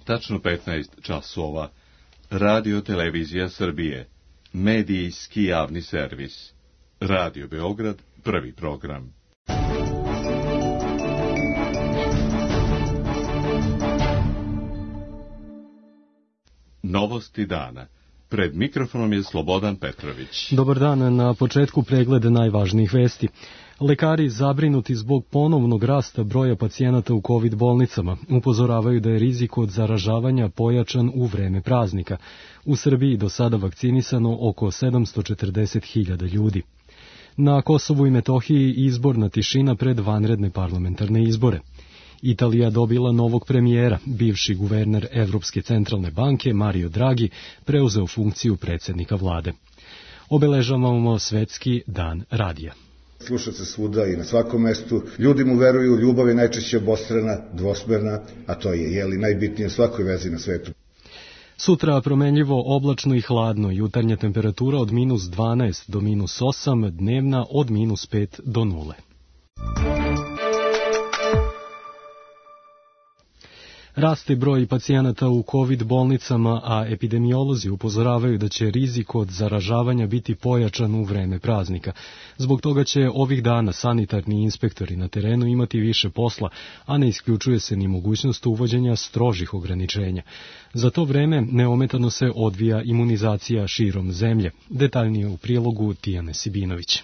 tačno 15 časova. Radio Televizija Srbije. Medijski javni servis. Radio Beograd, prvi program. Novosti dana. Pred mikrofonom je Slobodan Petrović. Dobar dan, na početku pregled najvažnijih vesti. Lekari zabrinuti zbog ponovnog rasta broja pacijenata u COVID bolnicama upozoravaju da je rizik od zaražavanja pojačan u vreme praznika. U Srbiji do sada vakcinisano oko 740.000 ljudi. Na Kosovu i Metohiji izborna tišina pred vanredne parlamentarne izbore. Italija dobila novog premijera, bivši guverner Evropske centralne banke Mario Draghi preuzeo funkciju predsjednika vlade. Obeležavamo Svetski dan radija. Sluša se svuda i na svakom mestu. Ljudi mu veruju, ljubav je najčešće obostrana, dvosmerna, a to je najbitnije u svakoj vezi na svetu. Sutra promenljivo, oblačno i hladno, jutarnja temperatura od -12 do -8, dnevna od -5 do 0. Raste broj pacijenata u COVID bolnicama, a epidemiolozi upozoravaju da će rizik od zaražavanja biti pojačan u vreme praznika. Zbog toga će ovih dana sanitarni inspektori na terenu imati više posla, a ne isključuje se ni mogućnost uvođenja strožih ograničenja. Za to vreme neometano se odvija imunizacija širom zemlje. Detaljnije u prilogu Tijane Sibinović.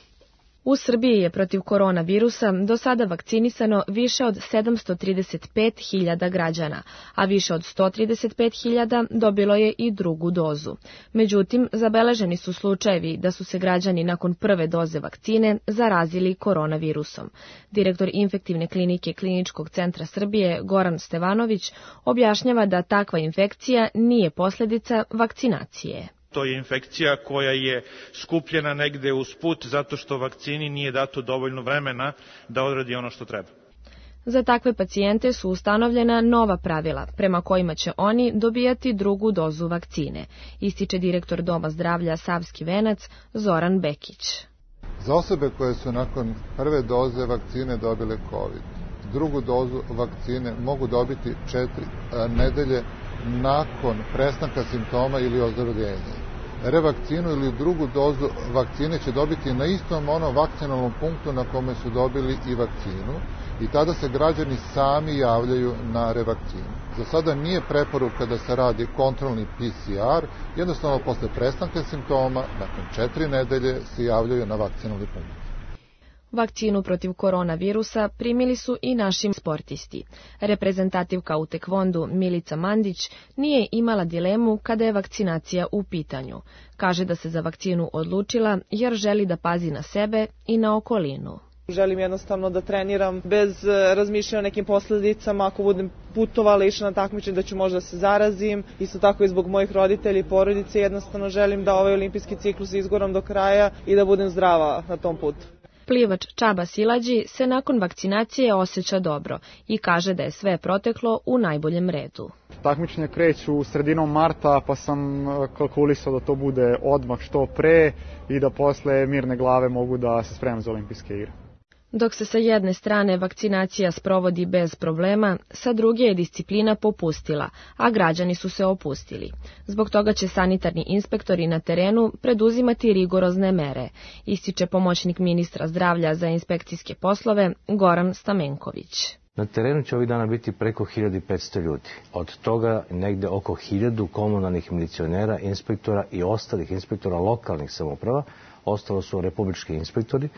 U Srbiji je protiv koronavirusa do sada vakcinisano više od 735.000 građana, a više od 135.000 dobilo je i drugu dozu. Međutim, zabeleženi su slučajevi da su se građani nakon prve doze vakcine zarazili koronavirusom. Direktor infektivne klinike Kliničkog centra Srbije Goran Stevanović objašnjava da takva infekcija nije posljedica vakcinacije. To je infekcija koja je skupljena negde usput zato što vakcini nije dato dovoljno vremena da odradi ono što treba. Za takve pacijente su ustanovljena nova pravila, prema kojima će oni dobijati drugu dozu vakcine, ističe direktor Doma zdravlja Savski Venac Zoran Bekić. Za osobe koje su nakon prve doze vakcine dobile COVID, drugu dozu vakcine mogu dobiti 4 nedelje nakon prestanka simptoma ili ozdravljenja. Revakcinu ili drugu dozu vakcine će dobiti na istom onom vakcinalnom punktu na kome su dobili i vakcinu i tada se građani sami javljaju na revakcinu. Za sada nije preporuka da se radi kontrolni PCR, jednostavno posle prestanka simptoma, nakon 4 nedelje se javljaju na vakcinalni punkt. Vakcinu protiv koronavirusa primili su i naši sportisti. Reprezentativka u tekvondu Milica Mandić nije imala dilemu kada je vakcinacija u pitanju. Kaže da se za vakcinu odlučila jer želi da pazi na sebe i na okolinu. Želim jednostavno da treniram bez razmišljanja o nekim posljedicama. Ako budem putovala, išla na takmičenje da ću možda se zarazim. Isto tako i zbog mojih roditelja i porodice jednostavno želim da ovaj olimpijski ciklus izgoram do kraja i da budem zdrava na tom putu. Plivač Čaba Silađi se nakon vakcinacije osjeća dobro i kaže da je sve proteklo u najboljem redu. Takmičenja kreću sredinom marta, pa sam kalkulisao da to bude odmah što pre i da posle mirne glave mogu da se spremam za olimpijske igre. Dok se sa jedne strane vakcinacija sprovodi bez problema, sa druge je disciplina popustila, a građani su se opustili. Zbog toga će sanitarni inspektori na terenu preduzimati rigorozne mere, ističe pomoćnik ministra zdravlja za inspekcijske poslove Goran Stamenković. Na terenu će ovih dana biti preko 1500 ljudi. Od toga negde oko 1000 komunalnih milicionera, inspektora i ostalih inspektora lokalnih samouprava. Ostalo su republički inspektori.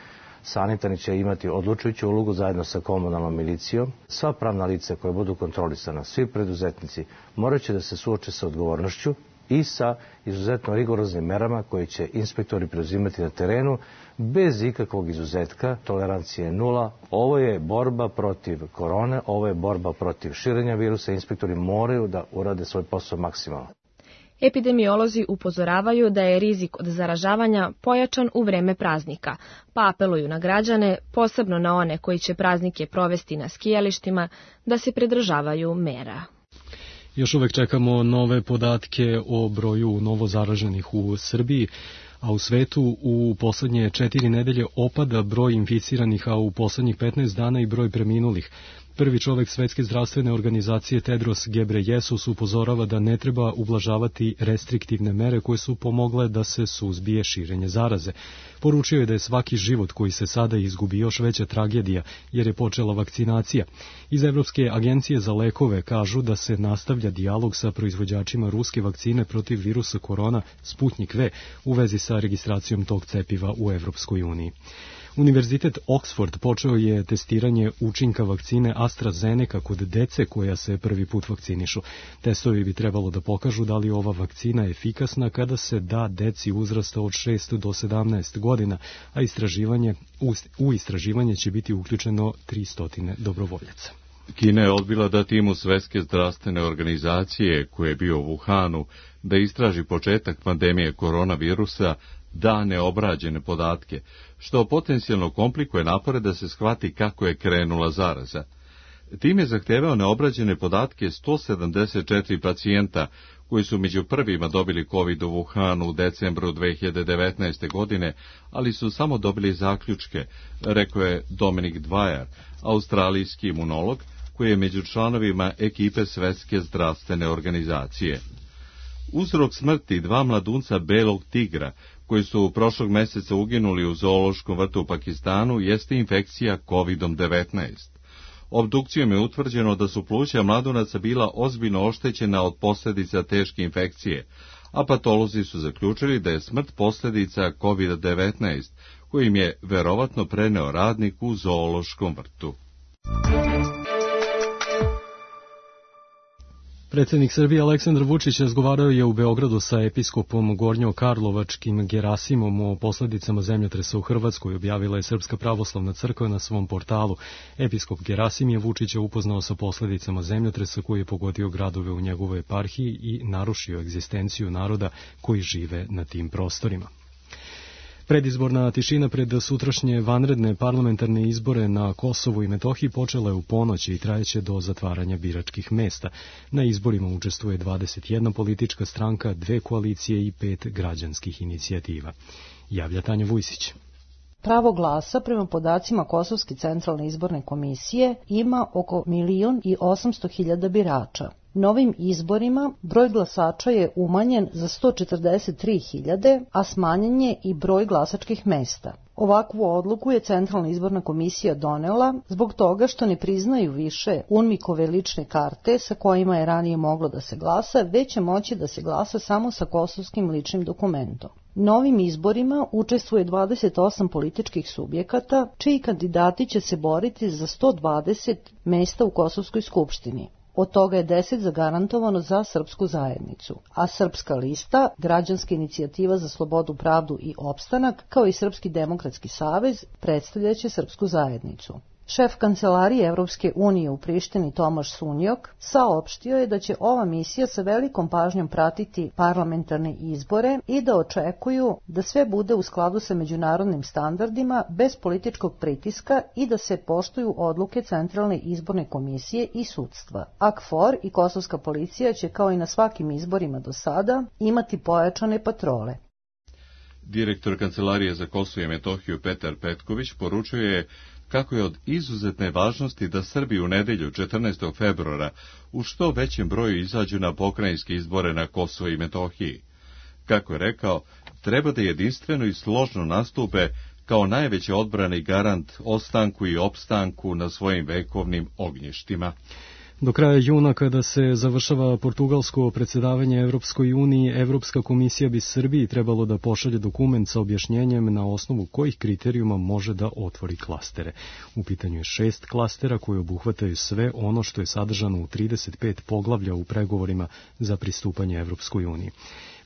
Sanitarni će imati odlučujuću ulogu zajedno sa komunalnom milicijom. Sva pravna lica koja budu kontrolisana, svi preduzetnici, morat će da se suoče sa odgovornošću i sa izuzetno rigoroznim merama koje će inspektori preuzimati na terenu bez ikakvog izuzetka. Tolerancija je 0. Ovo je borba protiv korone, ovo je borba protiv širenja virusa. Inspektori moraju da urade svoj posao maksimalno. Epidemiolozi upozoravaju da je rizik od zaražavanja pojačan u vreme praznika, pa apeluju na građane, posebno na one koji će praznike provesti na skijalištima, da se pridržavaju mera. Još uvek čekamo nove podatke o broju novozaraženih u Srbiji, a u svetu u poslednje 4 nedelje opada broj inficiranih, a u poslednjih 15 dana i broj preminulih. Prvi čovek Svetske zdravstvene organizacije Tedros Gebreyesus upozorava da ne treba ublažavati restriktivne mere koje su pomogle da se suzbije širenje zaraze. Poručio je da je svaki život koji se sada izgubi još veća tragedija jer je počela vakcinacija. Iz Evropske agencije za lekove kažu da se nastavlja dijalog sa proizvođačima ruske vakcine protiv virusa korona Sputnik V u vezi sa registracijom tog cepiva u Evropskoj uniji. Univerzitet Oxford počeo je testiranje učinka vakcine AstraZeneca kod dece koja se prvi put vakcinišu. Testovi bi trebalo da pokažu da li ova vakcina efikasna kada se da deci uzrasta od 6 do 17 godina, a u istraživanje će biti uključeno 300 dobrovoljaca. Kina je odbila da timu Svetske zdravstvene organizacije, koji je bio u Wuhanu, da istraži početak pandemije koronavirusa, da neobrađene podatke, što potencijalno komplikuje napore da se shvati kako je krenula zaraza. Tim je zahtevao neobrađene podatke 174 pacijenta koji su među prvima dobili COVID u Wuhanu u decembru 2019. godine, ali su samo dobili zaključke, rekao je Dominic Dwyer, australijski imunolog, koji je među članovima ekipe Svetske zdravstvene organizacije. Uzrok smrti 2 mladunca belog tigra, koji su prošlog meseca uginuli u zoološkom vrtu u Pakistanu, jeste infekcija COVID-19. Obdukcijom je utvrđeno da su pluća mladunaca bila ozbiljno oštećena od posljedica teške infekcije, a patolozi su zaključili da je smrt posljedica COVID-19, kojim je verovatno preneo radnik u zoološkom vrtu. Predsjednik Srbije Aleksandar Vučić razgovarao je u Beogradu sa episkopom Gornjokarlovačkim Gerasimom o posljedicama zemljotresa u Hrvatskoj, objavila je Srpska pravoslavna crkva na svom portalu. Episkop Gerasim je Vučića upoznao sa posljedicama zemljotresa koji je pogodio gradove u njegovoj eparhiji i narušio egzistenciju naroda koji žive na tim prostorima. Predizborna tišina pred sutrašnje vanredne parlamentarne izbore na Kosovu i Metohiji počela je u ponoć i trajeće do zatvaranja biračkih mesta. Na izborima učestvuje 21 politička stranka, 2 koalicije i 5 građanskih inicijativa. Javlja Tanja Vujsić. Pravo glasa, prema podacima Kosovske centralne izborne komisije, ima oko 1.800.000 birača. Novim izborima broj glasača je umanjen za 143.000, a smanjen je i broj glasačkih mesta. Ovakvu odluku je Centralna izborna komisija donela zbog toga što ne priznaju više UNMIK-ove lične karte sa kojima je ranije moglo da se glasa, već će moći da se glasa samo sa kosovskim ličnim dokumentom. Novim izborima učestvuje 28 političkih subjekata, čiji kandidati će se boriti za 120 mesta u Kosovskoj skupštini. Od toga je 10 zagarantovano za srpsku zajednicu, a Srpska lista, Građanska inicijativa za slobodu, pravdu i opstanak, kao i Srpski demokratski savez, predstavljaće srpsku zajednicu. Šef kancelarije Evropske unije u Prištini Tomaš Sunjok saopštio je da će ova misija sa velikom pažnjom pratiti parlamentarne izbore i da očekuju da sve bude u skladu sa međunarodnim standardima bez političkog pritiska i da se poštuju odluke Centralne izborne komisije i sudstva. KFOR i kosovska policija će kao i na svakim izborima do sada imati pojačane patrole. Direktor Kancelarije za Kosovo i Metohiju Petar Petković poručio je kako je od izuzetne važnosti da Srbi u nedelju 14. februara u što većem broju izađu na pokrajinske izbore na Kosovo i Metohiji. Kako je rekao, treba da jedinstveno i složno nastupe kao najveće odbrane i garant ostanku i opstanku na svojim vekovnim ognjištima. Do kraja juna, kada se završava portugalsko predsjedavanje Evropskoj uniji, Evropska komisija bi Srbiji trebalo da pošalje dokument sa objašnjenjem na osnovu kojih kriterijuma može da otvori klastere. U pitanju je 6 klastera koji obuhvataju sve ono što je sadržano u 35 poglavlja u pregovorima za pristupanje Evropskoj uniji.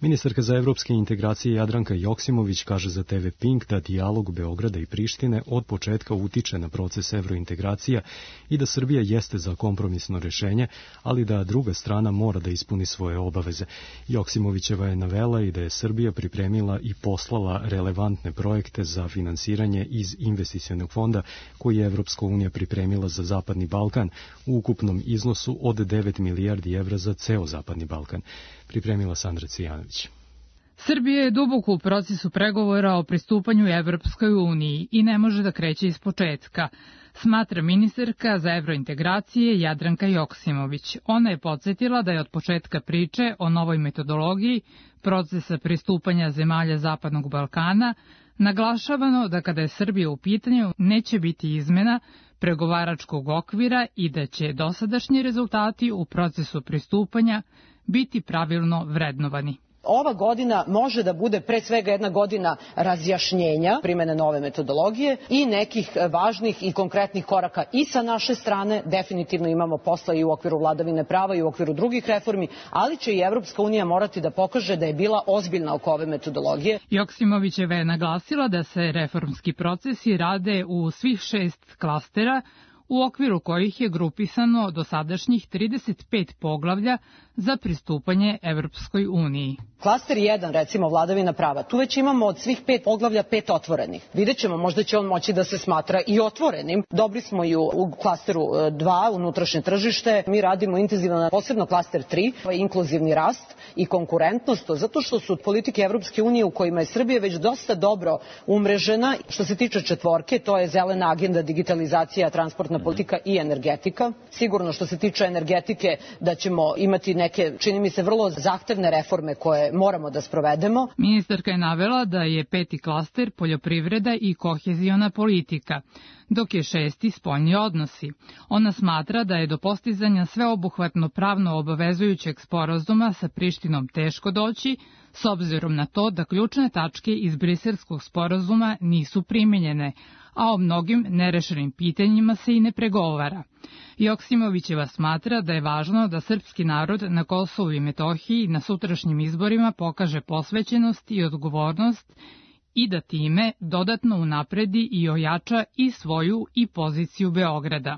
Ministarka za evropske integracije Jadranka Joksimović kaže za TV Pink da dijalog Beograda i Prištine od početka utiče na proces evrointegracija i da Srbija jeste za kompromisno rešenje, ali da druga strana mora da ispuni svoje obaveze. Joksimovićeva je navela i da je Srbija pripremila i poslala relevantne projekte za finansiranje iz investicionog fonda koji je Evropska unija pripremila za Zapadni Balkan u ukupnom iznosu od 9 milijardi evra za ceo Zapadni Balkan. Pripremila Sandra Cijanović. Srbija je duboko u procesu pregovora o pristupanju Evropskoj uniji i ne može da kreće iz početka, smatra ministarka za evrointegracije Jadranka Joksimović. Ona je podsjetila da je od početka priče o novoj metodologiji procesa pristupanja zemalja Zapadnog Balkana naglašavano da kada je Srbija u pitanju neće biti izmena pregovaračkog okvira i da će dosadašnji rezultati u procesu pristupanja biti pravilno vrednovani. Ova godina može da bude pre svega jedna godina razjašnjenja primene nove metodologije i nekih važnih i konkretnih koraka i sa naše strane. Definitivno imamo posla i u okviru vladavine prava i u okviru drugih reformi, ali će i Evropska unija morati da pokaže da je bila ozbiljna oko ove metodologije. Joksimovićeva je naglasila da se reformski procesi rade u svih 6 klastera, u okviru kojih je grupisano dosadašnjih 35 poglavlja za pristupanje Evropskoj uniji. Klaster 1, recimo vladavina prava, tu već imamo od svih 5 poglavlja 5 otvorenih. Vidjet ćemo, možda će on moći da se smatra i otvorenim. Dobri smo i u klasteru 2, unutrašnje tržište. Mi radimo intenzivno, posebno klaster 3, inkluzivni rast i konkurentnost, zato što su politike Evropske unije u kojima je Srbija već dosta dobro umrežena. Što se tiče četvorke, to je zelena agenda, digitalizacija, transportna politika i energetika. Sigurno što se tiče energetike da ćemo imati neke, čini mi se, vrlo zahtevne reforme koje moramo da sprovedemo. Ministarka je navela da je 5. klaster poljoprivreda i koheziona politika, dok je 6. spoljni odnosi. Ona smatra da je do postizanja sveobuhvatno pravno obavezujućeg sporazuma sa Prištinom teško doći, s obzirom na to da ključne tačke iz Briselskog sporazuma nisu primenjene, a o mnogim nerešenim pitanjima se i ne pregovara. Joksimovićeva smatra da je važno da srpski narod na Kosovu i Metohiji na sutrašnjim izborima pokaže posvećenost i odgovornost i da time dodatno unapredi i ojača i svoju i poziciju Beograda.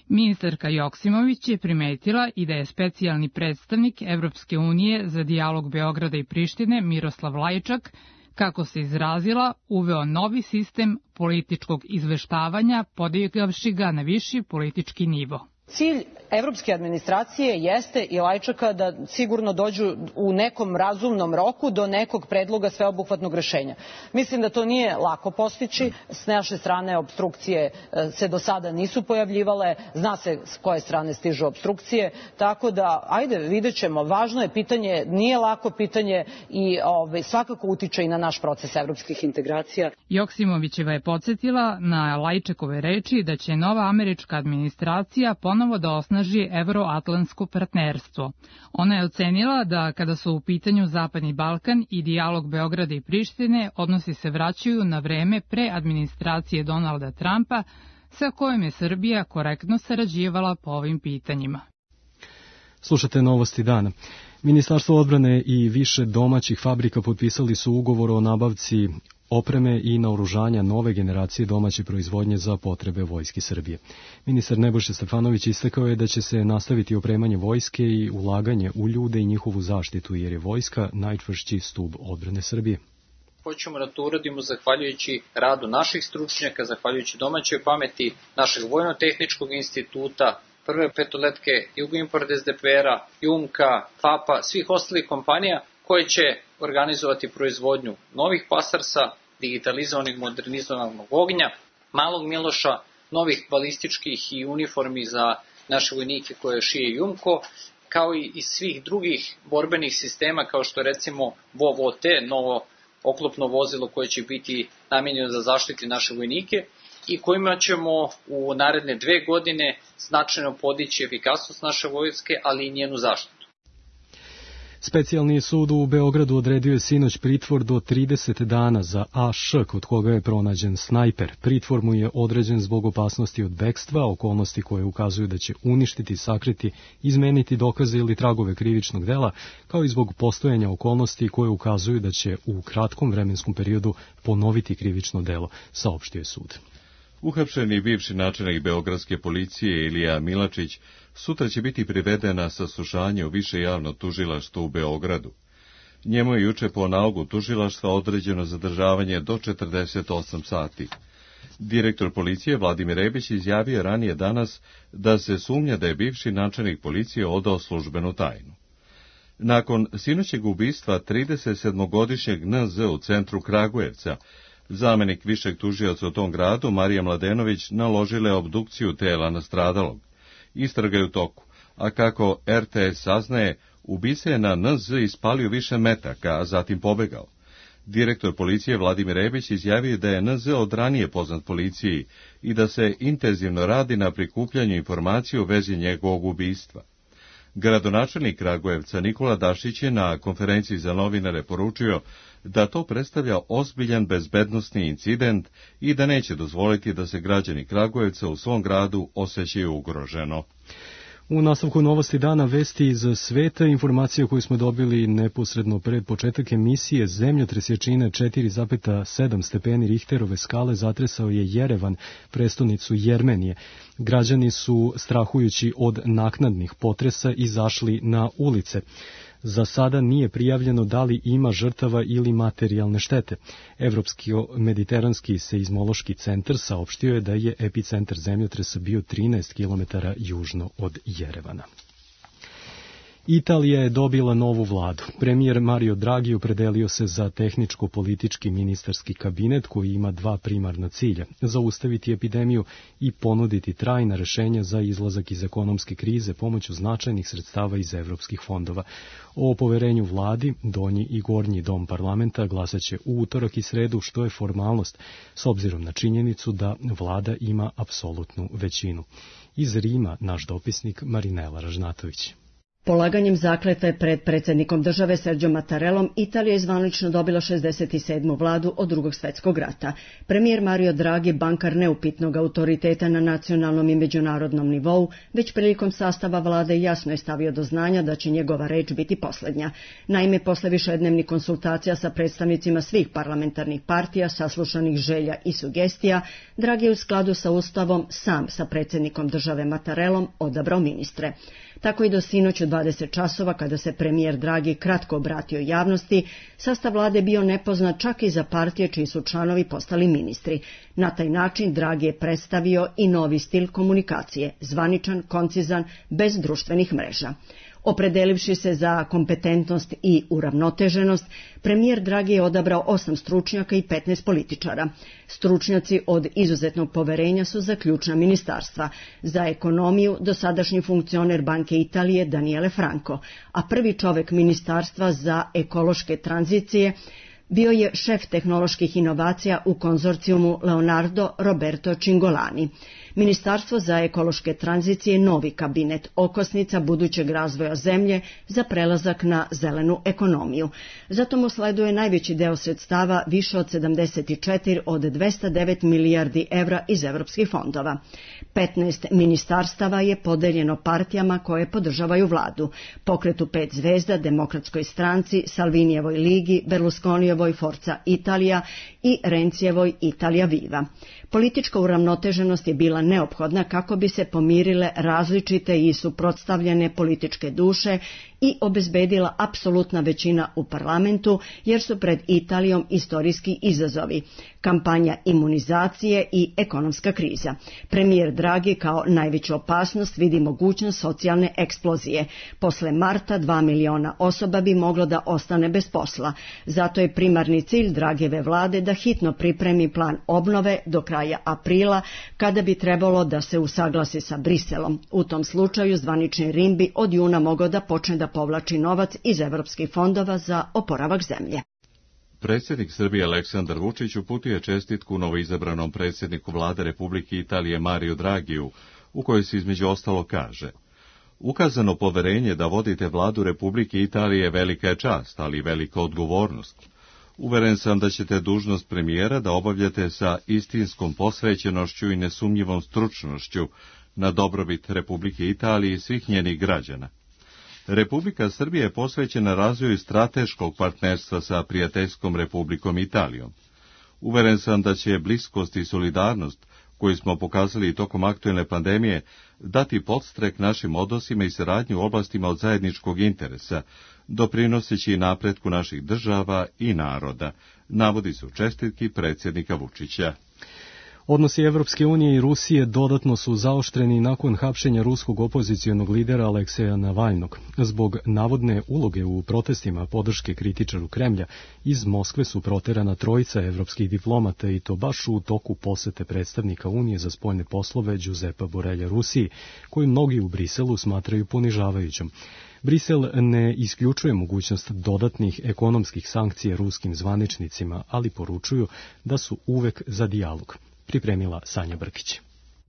Ministarka Joksimović je primetila i da je specijalni predstavnik Evropske unije za dijalog Beograda i Prištine Miroslav Lajčak, kako se izrazila, uveo novi sistem političkog izveštavanja, podigavši ga na viši politički nivo. Cilj evropske administracije jeste i Lajčaka da sigurno dođu u nekom razumnom roku do nekog predloga sveobuhvatnog rešenja. Mislim da to nije lako postići. S naše strane obstrukcije se do sada nisu pojavljivale, zna se s koje strane stižu obstrukcije, tako da, ajde, vidjet ćemo. Važno je pitanje, nije lako pitanje i svakako utiče i na naš proces evropskih integracija. Joksimovićeva je podsjetila na Lajčekove reči da će nova američka administracija ponovo da osnaži evroatlantsko partnerstvo. Ona je ocenila da kada su u pitanju Zapadni Balkan i dijalog Beograda i Prištine, odnosi se vraćaju na vreme pre administracije Donalda Trumpa, sa kojim je Srbija korektno sarađivala po ovim pitanjima. Slušate Novosti dana. Ministarstvo odbrane i više domaćih fabrika potpisali su ugovor o nabavci opreme i naoružanja nove generacije domaće proizvodnje za potrebe Vojske Srbije. Ministar Nebojša Stefanović istakao je da će se nastaviti opremanje vojske i ulaganje u ljude i njihovu zaštitu, jer je vojska najčvršći stub odbrane Srbije. Hoćemo da to uradimo zahvaljujući radu naših stručnjaka, zahvaljujući domaćoj pameti našeg Vojno-tehničkog instituta, Prve petoletke, Jugoimport SDPR-a, Jumka, FAP-a, svih ostalih kompanija koje će organizovati proizvodnju novih pasarsa, digitalizovanih, modernizovanog ognja, malog Miloša, novih balističkih i uniformi za naše vojnike koje šije Jumko, kao i svih drugih borbenih sistema kao što je recimo VOV-OT, novo oklopno vozilo koje će biti namenjeno za zaštiti naše vojnike i kojima ćemo u naredne 2 godine značajno podići efikasnost naše vojske, ali i njenu zaštitu. Specijalni sud u Beogradu odredio je sinoć pritvor do 30 dana za A.Š, kod koga je pronađen snajper. Pritvor mu je određen zbog opasnosti od bekstva, okolnosti koje ukazuju da će uništiti, sakriti, izmeniti dokaze ili tragove krivičnog dela, kao i zbog postojanja okolnosti koje ukazuju da će u kratkom vremenskom periodu ponoviti krivično delo, saopštio je sud. Uhapšeni bivši načelnik beogradske policije Ilija Milačić sutra će biti priveden na saslušanje u više javno tužilaštvo u Beogradu. Njemu je juče po nalogu tužilaštva određeno zadržavanje do 48 sati. Direktor policije Vladimir Rebić izjavio ranije danas da se sumnja da je bivši načelnik policije odao službenu tajnu. Nakon sinoćeg ubistva 37-godišnjeg NZ u centru Kragujevca, zamenik višeg tužioca u tom gradu, Marija Mladenović, naložila je obdukciju tela nastradalog. Istraga je u toku, a kako RTS saznaje, ubica je na NZ ispalio više metaka, a zatim pobegao. Direktor policije Vladimir Rebić izjavio da je NZ od ranije poznat policiji i da se intenzivno radi na prikupljanju informacija u vezi njegovog ubistva. Gradonačelnik Kragujevca Nikola Dašić je na konferenciji za novinare poručio da to predstavlja ozbiljan bezbednosni incident i da neće dozvoliti da se građani Kragujevca u svom gradu osjećaju ugroženo. U nastavku novosti dana vesti iz sveta, informacije koju smo dobili neposredno pred početak emisije, zemljotres jačine 4,7 stepeni Richterove skale zatresao je Jerevan, prestonicu Jermenije. Građani su, strahujući od naknadnih potresa, izašli na ulice. Za sada nije prijavljeno da li ima žrtava ili materijalne štete. Evropski mediteranski seizmološki centar saopštio je da je epicentar zemljotresa bio 13 km južno od Jerevana. Italija je dobila novu vladu. Premijer Mario Draghi opredelio se za tehničko-politički ministarski kabinet koji ima dva primarna cilja: zaustaviti epidemiju i ponuditi trajna rešenja za izlazak iz ekonomske krize pomoću značajnih sredstava iz evropskih fondova. O poverenju vladi donji i gornji dom parlamenta glasaće u utorak i sredu, što je formalnost, s obzirom na činjenicu da vlada ima apsolutnu većinu. Iz Rima naš dopisnik Marinela Ražnatović. Polaganjem zakletve pred predsjednikom države Sergio Mattarellom, Italija je zvanično dobila 67. vladu od Drugog svjetskog rata. Premijer Mario Draghi, bankar neupitnog autoriteta na nacionalnom i međunarodnom nivou, već prilikom sastava vlade jasno je stavio do znanja da će njegova reč biti posljednja. Naime, posle višednevnih konsultacija sa predstavnicima svih parlamentarnih partija, saslušanih želja i sugestija, Draghi je u skladu sa Ustavom sam sa predsjednikom države Mattarellom odabrao ministre. Tako i do sinoć u 20 časova, kada se premijer Draghi kratko obratio javnosti, sastav vlade bio nepoznat čak i za partije čiji su članovi postali ministri. Na taj način Draghi je predstavio i novi stil komunikacije, zvaničan, koncizan, bez društvenih mreža. Opredelivši se za kompetentnost i uravnoteženost, premijer Draghi je odabrao 8 stručnjaka i 15 političara. Stručnjaci od izuzetnog poverenja su za ključna ministarstva. Za ekonomiju dosadašnji funkcioner Banke Italije Daniele Franco, a prvi čovek ministarstva za ekološke tranzicije bio je šef tehnoloških inovacija u konzorcijumu Leonardo Roberto Cingolani. Ministarstvo za ekološke tranzicije je novi kabinet, okosnica budućeg razvoja zemlje za prelazak na zelenu ekonomiju. Zato mu sleduje najveći deo sredstava, više od 74 od 209 milijardi evra iz evropskih fondova. 15 ministarstava je podeljeno partijama koje podržavaju vladu: Pokretu 5 zvezda, Demokratskoj stranci, Salvinijevoj ligi, Berlusconijevoj Forza Italija i Rencijevoj Italija Viva. Politička uravnoteženost je bila neophodna kako bi se pomirile različite i suprotstavljene političke duše i obezbedila apsolutna većina u parlamentu, jer su pred Italijom istorijski izazovi: kampanja imunizacije i ekonomska kriza. Premijer Draghi kao najveću opasnost vidi mogućnost socijalne eksplozije. Posle marta 2 miliona osoba bi moglo da ostane bez posla. Zato je primarni cilj Draghijeve vlade da hitno pripremi plan obnove do kraja aprila, kada bi trebalo da se usaglasi sa Briselom. U tom slučaju zvanični Rim bi od juna mogao da počne da povlači novac iz evropskih fondova za oporavak zemlje. Predsjednik Srbije Aleksandar Vučić uputio je čestitku novoizabranom predsjedniku vlade Republike Italije Mario Dragiju, u kojoj se između ostalo kaže: ukazano poverenje da vodite vladu Republike Italije velika je čast, ali i velika odgovornost. Uveren sam da ćete dužnost premijera da obavljate sa istinskom posvećenošću i nesumnjivom stručnošću na dobrobit Republike Italije i svih njenih građana. Republika Srbija je posvećena razvoju strateškog partnerstva sa prijateljskom Republikom Italijom. Uveren sam da će bliskost i solidarnost, koju smo pokazali tokom aktuelne pandemije, dati podstrek našim odnosima i saradnju u oblastima od zajedničkog interesa, doprinoseći napretku naših država i naroda, navodi se u čestitki predsjednika Vučića. Odnosi Evropske unije i Rusije dodatno su zaoštreni nakon hapšenja ruskog opozicionog lidera Alekseja Navalnog. Zbog navodne uloge u protestima podrške kritičaru Kremlja, iz Moskve su proterana trojica evropskih diplomata i to baš u toku posete predstavnika Unije za spoljne poslove Giuseppa Borrella Rusiji, koju mnogi u Briselu smatraju ponižavajućom. Brisel ne isključuje mogućnost dodatnih ekonomskih sankcija ruskim zvaničnicima, ali poručuju da su uvek za dijalog. Pripremila Sanja Brkić.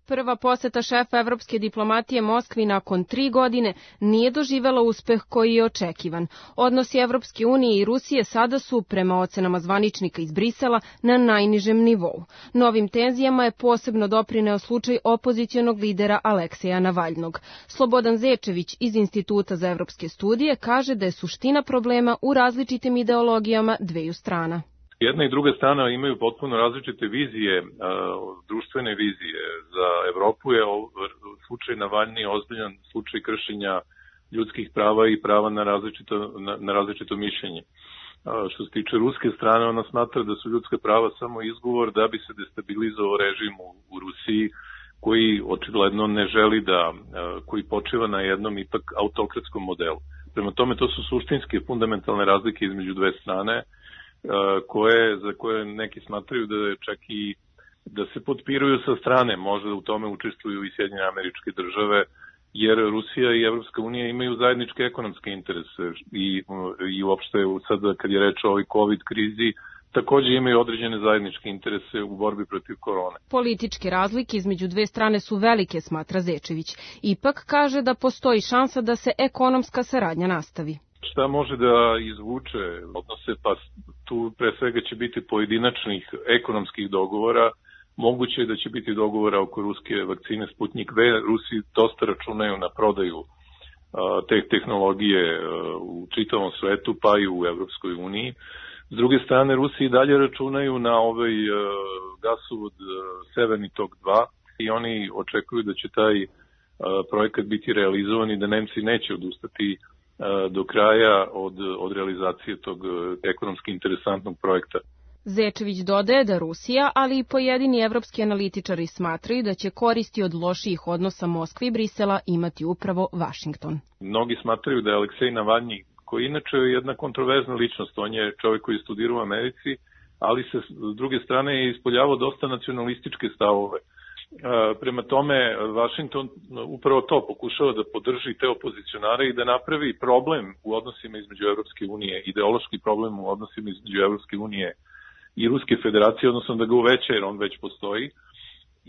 Prva poseta šefa evropske diplomatije Moskvi nakon 3 godine nije doživela uspeh koji je očekivan. Odnosi Evropske unije i Rusije sada su, prema ocenama zvaničnika iz Brisela, na najnižem nivou. Novim tenzijama je posebno doprineo slučaj opozicionog lidera Alekseja Navalnog. Slobodan Zečević iz Instituta za evropske studije kaže da je suština problema u različitim ideologijama dveju strana. Jedna i druga strana imaju potpuno različite vizije, društvene vizije. Za Evropu je slučaj Navalni ozbiljan slučaj kršenja ljudskih prava i prava na različito mišljenje. Što se tiče ruske strane, ona smatra da su ljudska prava samo izgovor da bi se destabilizovao režim u Rusiji, koji očigledno ne želi koji počiva na jednom ipak autokratskom modelu. Prema tome, to su suštinske fundamentalne razlike između dve strane, za koje neki smatraju da čak i da se potpiruju sa strane, možda u tome učestvuju i Sjedinjene Američke Države, jer Rusija i Evropska unija imaju zajedničke ekonomske interese i uopšte sad kad je reč o ovoj COVID krizi, također imaju određene zajedničke interese u borbi protiv korone. Političke razlike između dve strane su velike, smatra Zečević. Ipak kaže da postoji šansa da se ekonomska saradnja nastavi. Šta može da izvuče odnose, pa tu pre svega će biti pojedinačnih ekonomskih dogovora, moguće je da će biti dogovora oko ruske vakcine Sputnik V. Rusi dosta računaju na prodaju te tehnologije u čitavom svetu, pa i u Evropskoj uniji. S druge strane, Rusi i dalje računaju na ovaj gasovod Severni tok 2 i oni očekuju da će taj projekat biti realizovan i da Nemci neće odustati do kraja od realizacije tog ekonomski interesantnog projekta. Zečević dodaje da Rusija, ali i pojedini evropski analitičari smatraju da će koristi od lošijih odnosa Moskve i Brisela imati upravo Vašington. Mnogi smatraju da je Aleksej Navalni, koji inače je jedna kontroverzna ličnost, on je čovjek koji studira u Americi, ali se s druge strane je ispoljavao dosta nacionalističke stavove. Prema tome, Vašington upravo to pokušava da podrži te opozicionare i da napravi problem u odnosima između Evropske unije, ideološki problem u odnosima između Evropske unije i Ruske federacije, odnosno da ga uveća jer on već postoji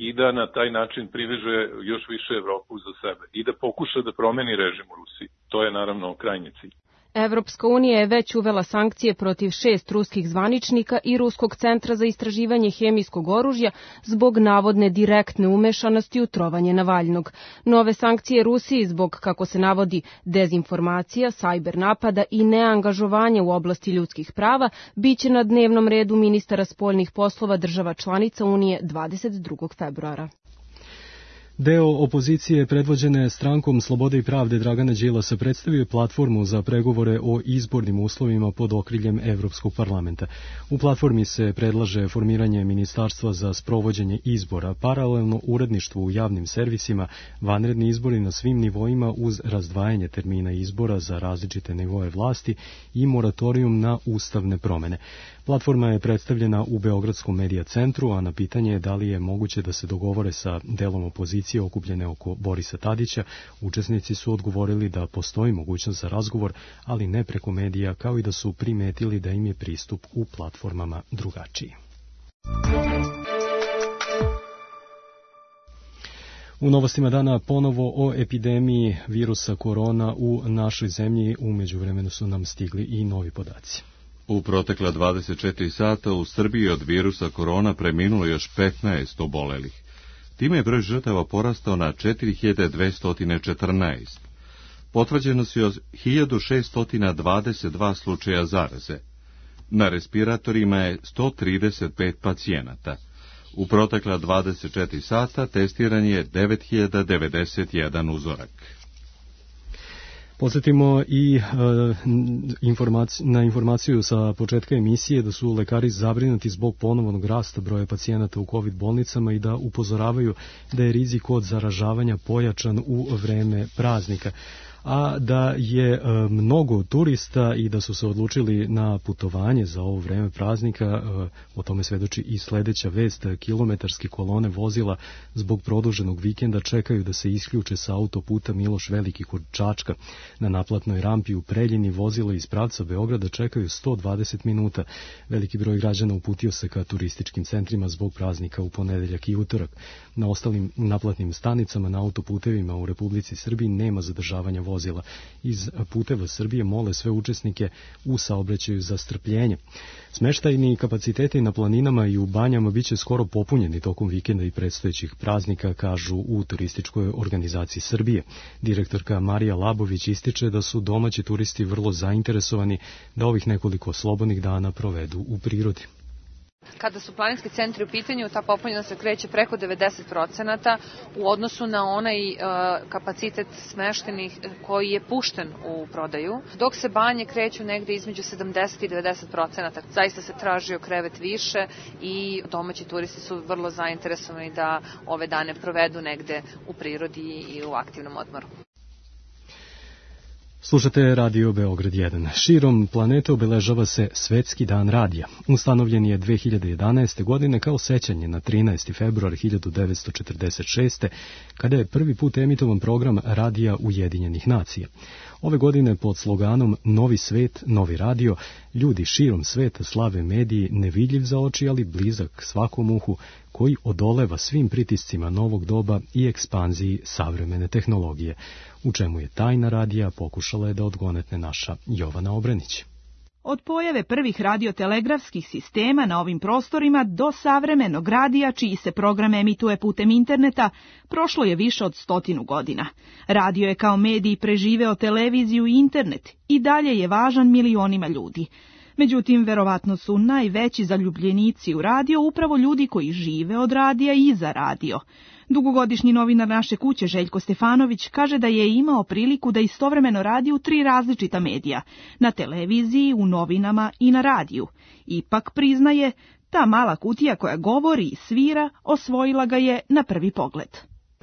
i da na taj način priveže još više Evropu za sebe i da pokuša da promeni režim u Rusiji. To je naravno krajnji cilj. Evropska unija je već uvela sankcije protiv 6 ruskih zvaničnika i Ruskog centra za istraživanje hemijskog oružja zbog navodne direktne umešanosti u trovanje Navalnog. Nove sankcije Rusiji zbog, kako se navodi, dezinformacija, sajber napada i neangažovanja u oblasti ljudskih prava biće na dnevnom redu ministara spoljnih poslova država članica Unije 22. februara. Deo opozicije predvođene strankom Slobode i pravde Dragana Đilasa predstavio je platformu za pregovore o izbornim uslovima pod okriljem Evropskog parlamenta. U platformi se predlaže formiranje ministarstva za sprovođenje izbora, paralelno uredništvu u javnim servisima, vanredni izbori na svim nivoima uz razdvajanje termina izbora za različite nivoe vlasti i moratorijum na ustavne promene. Platforma je predstavljena u Beogradskom medija centru, a na pitanje je da li je moguće da se dogovore sa delom opozicije okupljene oko Borisa Tadića, učesnici su odgovorili da postoji mogućnost za razgovor, ali ne preko medija, kao i da su primetili da im je pristup u platformama drugačiji. U novostima dana ponovo o epidemiji virusa korona u našoj zemlji. U međuvremenu su nam stigli i novi podaci. U protekla 24 sata u Srbiji od virusa korona preminulo još 15 obolelih. Time je broj žrtava porastao na 4214. Potvrđeno su još 1622 slučaja zaraze. Na respiratorima je 135 pacijenata. U protekla 24 sata testiran je 9091 uzorak. Podsjetimo i na informaciju sa početka emisije da su lekari zabrinuti zbog ponovnog rasta broja pacijenata u COVID bolnicama i da upozoravaju da je rizik od zaražavanja pojačan u vreme praznika, a da je mnogo turista i da su se odlučili na putovanje za ovo vreme praznika. O tome svedoči i sledeća vest. Kilometarske kolone vozila zbog produženog vikenda čekaju da se isključe sa autoputa Miloš Veliki kod Čačka. Na naplatnoj rampi u Preljini vozila iz pravca Beograda čekaju 120 minuta. Veliki broj građana uputio se ka turističkim centrima zbog praznika u ponedeljak i utorak. Na ostalim naplatnim stanicama na autoputevima u Republici Srbiji nema zadržavanja vozila. Iz Puteva Srbije mole sve učesnike u saobraćaju za strpljenje. Smeštajni kapaciteti na planinama i u banjama biće skoro popunjeni tokom vikenda i predstojećih praznika, kažu u Turističkoj organizaciji Srbije. Direktorka Marija Labović ističe da su domaći turisti vrlo zainteresovani da ovih nekoliko slobodnih dana provedu u prirodi. Kada su planinski centri u pitanju, ta popunjenost se kreće preko 90% u odnosu na onaj kapacitet smeštenih koji je pušten u prodaju, dok se banje kreću negde između 70 i 90%. Zaista se tražio krevet više i domaći turisti su vrlo zainteresovani da ove dane provedu negde u prirodi i u aktivnom odmoru. Slušate Radio Beograd 1. Širom planete obeležava se Svetski dan radija. Ustanovljen je 2011. godine kao sećanje na 13. februar 1946. kada je prvi put emitovan program Radija Ujedinjenih nacija. Ove godine pod sloganom Novi svet, novi radio, ljudi širom sveta slave mediji nevidljiv za oči, ali blizak svakom uhu, koji odoleva svim pritiscima novog doba i ekspanziji savremene tehnologije. U čemu je tajna radija, pokušala je da odgonetne naša Jovana Obranić. Od pojave prvih radiotelegrafskih sistema na ovim prostorima do savremenog radija, čiji se program emituje putem interneta, prošlo je više od 100 godina. Radio je kao medij preživeo televiziju i internet i dalje je važan milionima ljudi. Međutim, verovatno su najveći zaljubljenici u radio upravo ljudi koji žive od radija i za radio. Dugogodišnji novinar naše kuće Željko Stefanović kaže da je imao priliku da istovremeno radi u 3 različita medija, na televiziji, u novinama i na radiju. Ipak priznaje, ta mala kutija koja govori i svira osvojila ga je na prvi pogled.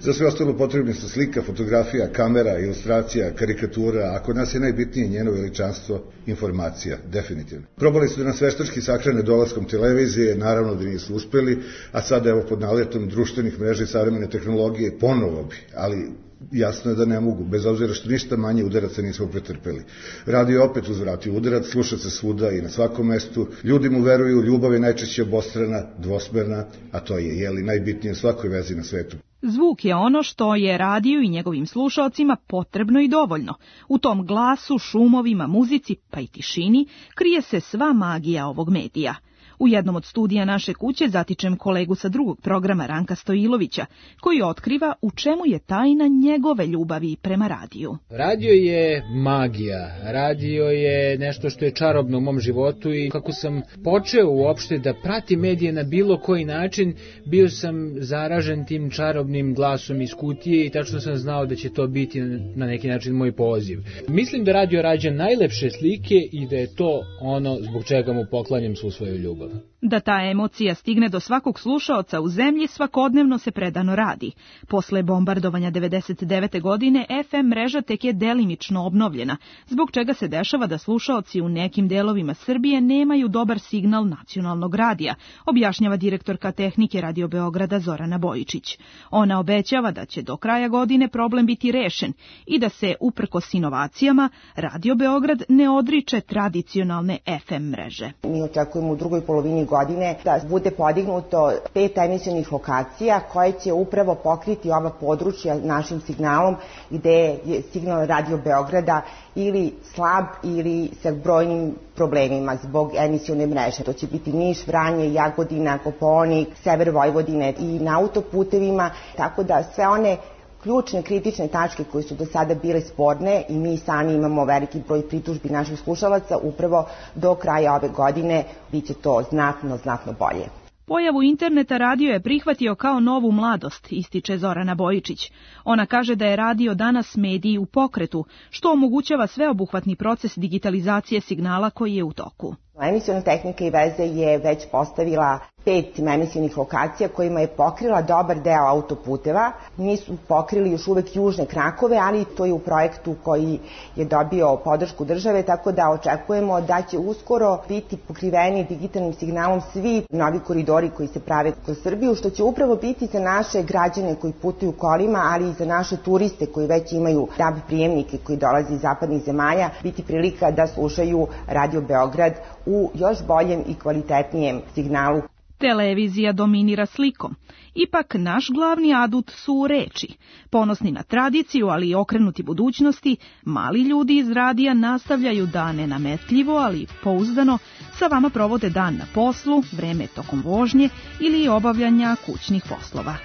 Za sve ostalo potrebni su slika, fotografija, kamera, ilustracija, karikatura, a kod nas je najbitnije njeno veličanstvo, informacija, definitivno. Probali su da nas veštački sahrane dolaskom televizije, naravno da nisu uspeli, a sada evo pod naletom društvenih mreža i savremene tehnologije ponovo bi, ali jasno je da ne mogu, bez obzira što ništa manje udaraca nismo pretrpeli. Radio opet uzvratio udarac, sluša se svuda i na svakom mestu, ljudi mu veruju, ljubav je najčešće obostrana, dvosmerna, a to je najbitnije u svakoj vezi na svetu. Zvuk je ono što je radiju i njegovim slušaocima potrebno i dovoljno. U tom glasu, šumovima, muzici, pa i tišini, krije se sva magija ovog medija. U jednom od studija naše kuće zatičem kolegu sa drugog programa Ranka Stojilovića, koji otkriva u čemu je tajna njegove ljubavi prema radiju. Radio je magija, radio je nešto što je čarobno u mom životu i kako sam počeo uopšte da pratim medije na bilo koji način, bio sam zaražen tim čarobnim glasom iz kutije i tačno sam znao da će to biti na neki način moj poziv. Mislim da radio rađa najlepše slike i da je to ono zbog čega mu poklanjam svu svoju ljubav. Da ta emocija stigne do svakog slušaoca u zemlji svakodnevno se predano radi. Posle bombardovanja 99. godine FM mreža tek je delimično obnovljena, zbog čega se dešava da slušaoci u nekim delovima Srbije nemaju dobar signal nacionalnog radija, objašnjava direktorka tehnike Radio Beograda Zorana Bojičić. Ona obećava da će do kraja godine problem biti rešen i da se, uprkos inovacijama, Radio Beograd ne odriče tradicionalne FM mreže. Mi očekujemo u drugoj polovini godine da bude podignuto 5 emisionih lokacija koje će upravo pokriti ova područja našim signalom gde je signal Radio Beograda ili slab ili sa brojnim problemima zbog emisione mreže. To će biti Niš, Vranje, Jagodina, Kopaonik, sever Vojvodine i na autoputevima, tako da sve one ključne kritične tačke koje su do sada bile sporne i mi sami imamo veliki broj pritužbi naših slušalaca, upravo do kraja ove godine biće to znatno bolje. Pojavu interneta radio je prihvatio kao novu mladost, ističe Zorana Bojičić. Ona kaže da je radio danas medij u pokretu, što omogućava sveobuhvatni proces digitalizacije signala koji je u toku. Emisiona tehnika i veze je već postavila 5 emisionih lokacija kojima je pokrila dobar deo autoputeva. Nisu pokrili još uvek južne krakove, ali to je u projektu koji je dobio podršku države, tako da očekujemo da će uskoro biti pokriveni digitalnim signalom svi novi koridori koji se prave kroz Srbiju, što će upravo biti za naše građane koji putuju kolima, ali i za naše turiste koji već imaju DAB prijemnike koji dolaze iz zapadnih zemalja, biti prilika da slušaju Radio Beograd u još boljem i kvalitetnijem signalu. Televizija dominira slikom. Ipak naš glavni adut su reči. Ponosni na tradiciju, ali i okrenuti budućnosti, mali ljudi iz radija nastavljaju da nenametljivo, ali pouzdano sa vama provode dan na poslu, vreme tokom vožnje ili obavljanja kućnih poslova.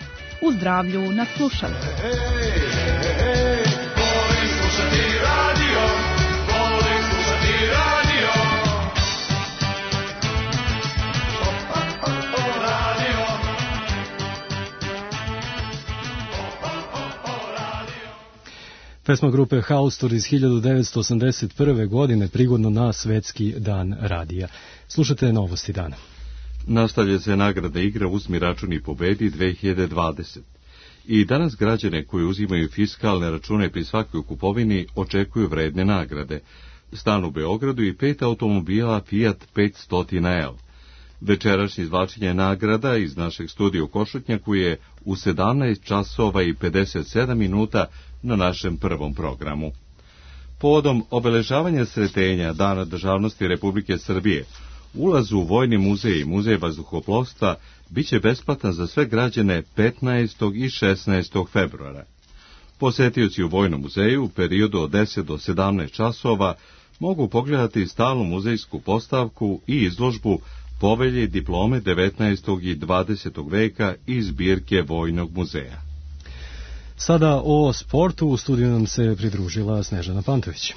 U zdravlju na slušanju. Pesma grupe Haustor iz 1981. godine prigodno na Svetski dan radija. Slušajte novosti dana. Nastavlja se nagrada igra Uzmi račun i pobedi 2020. I danas građane koji uzimaju fiskalne račune pri svakoj kupovini očekuju vredne nagrade. Stan u Beogradu i 5 automobila Fiat 500L. Večerašnje izvlačenje nagrada iz našeg studija u Košutnjaku je u 17 časova i 57 minuta na našem prvom programu. Povodom obeležavanja sretenja Dana državnosti Republike Srbije, ulaz u Vojni muzej i Muzej vazduhoplovstva biće besplatan za sve građane 15. i 16. februara. Posetioci u Vojnom muzeju u periodu od 10 do 17 časova mogu pogledati stalnu muzejsku postavku i izložbu Povelje i diplome 19. i 20. veka iz zbirke Vojnog muzeja. Sada o sportu, u studiju nam se pridružila Snežana Pantović.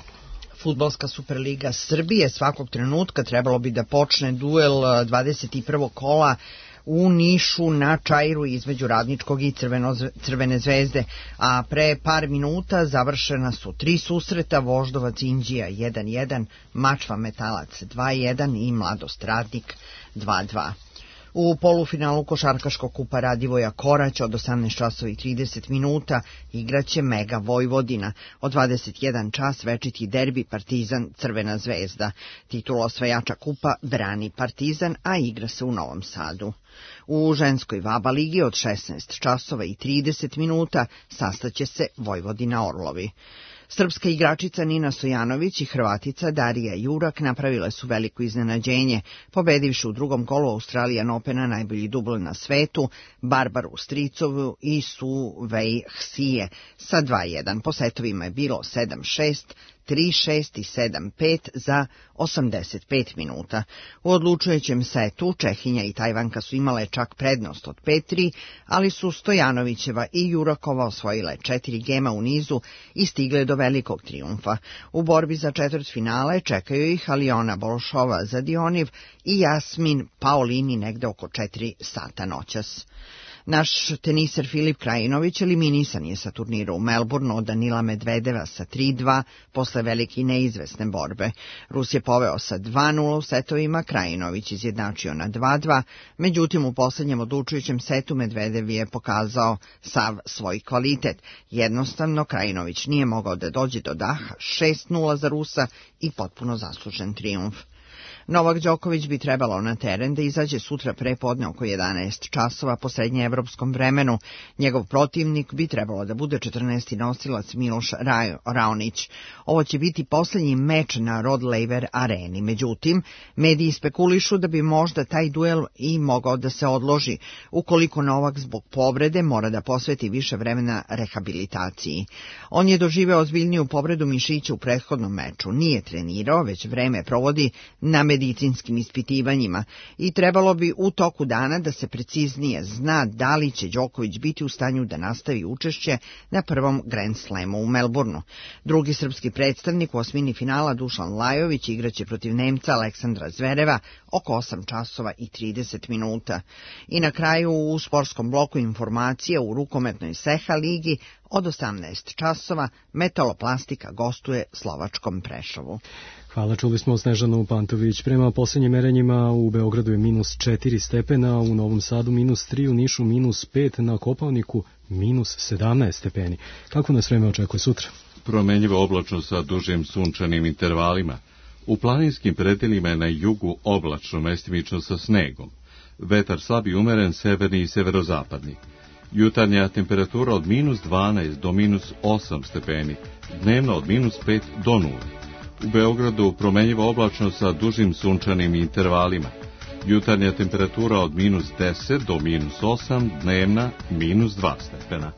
Fudbalska Superliga Srbije svakog trenutka trebalo bi da počne duel 21. kola u Nišu na Čairu između Radničkog i Crvene zvezde, a pre par minuta završena su 3 susreta, Voždovac Inđija 1-1, Mačva Metalac 2-1 i Mladost Radnik 2-2. U polufinalu košarkaškog kupa Radivoja Korać od 18:30 minuta igraće Mega Vojvodina. Od 21 čas večiti derbi Partizan Crvena zvezda. Titulu osvajača kupa brani Partizan, a igra se u Novom Sadu. U ženskoj VABA ligi od 16:30 minuta sastaće se Vojvodina Orlovi. Srpska igračica Nina Stojanović i Hrvatica Darija Jurak napravile su veliko iznenađenje, pobedivši u drugom kolu Australian Opena najbolji dubl na svetu, Barbaru Stricovu i Su Wei Hsije sa 2-1. Po setovima je bilo 7-6, 3-6 i 7-5 za 85 minuta. U odlučujućem setu Čehinja i Tajvanka su imale čak prednost od 5-3, ali su Stojanovićeva i Jurakova osvojile 4 gema u nizu i stigle do velikog trijumfa. U borbi za četvrtfinale čekaju ih Aliona Bolšova Zadioniv i Jasmin Paolini negde oko 4 sata noćas. Naš teniser Filip Krajinović eliminisan je sa turnira u Melbourneu od Danila Medvedeva sa 3-2 posle velike i neizvesne borbe. Rus je poveo sa 2-0 u setovima, Krajinović izjednačio na 2-2, međutim u poslednjem odlučujućem setu Medvedev je pokazao sav svoj kvalitet. Jednostavno Krajinović nije mogao da dođe do daha, 6-0 za Rusa i potpuno zaslužen trijumf. Novak Đoković bi trebalo na teren da izađe sutra prepodne oko 11 časova po srednjeevropskom vremenu. Njegov protivnik bi trebalo da bude 14. nosilac Miloš Raonić. Ovo će biti poslednji meč na Rod Laver areni. Međutim, mediji spekulišu da bi možda taj duel i mogao da se odloži, ukoliko Novak zbog povrede mora da posveti više vremena rehabilitaciji. On je doživeo ozbiljniju povredu mišića u prethodnom meču. Nije trenirao, već vreme provodi na medicinačkom medicinskim ispitivanjima i trebalo bi u toku dana da se preciznije zna da li će Đoković biti u stanju da nastavi učešće na prvom Grand Slamu u Melbourneu. Drugi srpski predstavnik u osmini finala Dušan Lajović igraće protiv Nemca Aleksandra Zvereva oko 8 časova i 30 minuta. I na kraju u sportskom bloku informacija u rukometnoj Seha ligi od 18 časova Metaloplastika gostuje slovačkom Prešovu. Hvala, čuli smo Snežanu Pantović. Prema posljednjim merenjima u Beogradu je -4 stepena, u Novom Sadu -3, u Nišu -5, na Kopaoniku -17 stepeni. Kako nas vreme očekuje sutra? Promenljivo oblačno sa dužim sunčanim intervalima. U planinskim predelima je na jugu oblačno, mestimično sa snegom. Vetar slab i umeren, severni i severozapadni. Jutarnja temperatura od -12 do -8 stepeni, dnevno od -5 do 0. U Beogradu promenljivo oblačno sa dužim sunčanim intervalima. Jutarnja temperatura od -10 do -8, dnevna -2 stepena.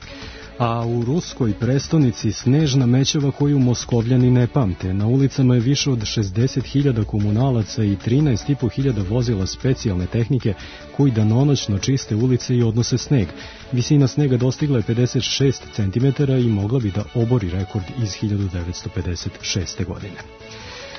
A u ruskoj prestonici snežna mećava koju Moskovljani ne pamte. Na ulicama je više od 60.000 komunalaca i 13.500 vozila specijalne tehnike koji danonoćno čiste ulice i odnose sneg. Visina snega dostigla je 56 cm i mogla bi da obori rekord iz 1956. godine.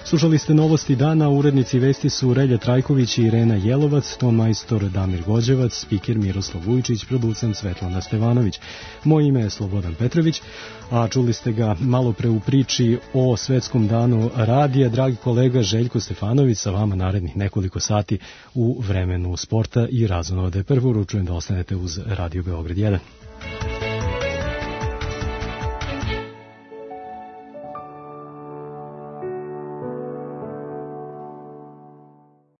Slušali ste novosti dana, urednici vesti su Relja Trajković i Irena Jelovac, ton majstor Damir Gođevac, spiker Miroslav Vujičić, producent Svetlana Stevanović. Moje ime je Slobodan Petrović, a čuli ste ga malo pre u priči o Svetskom danu radija. Dragi kolega Željko Stefanović sa vama narednih nekoliko sati u vremenu sporta i razonode. Prvo uručujem da ostanete uz Radio Beograd 1.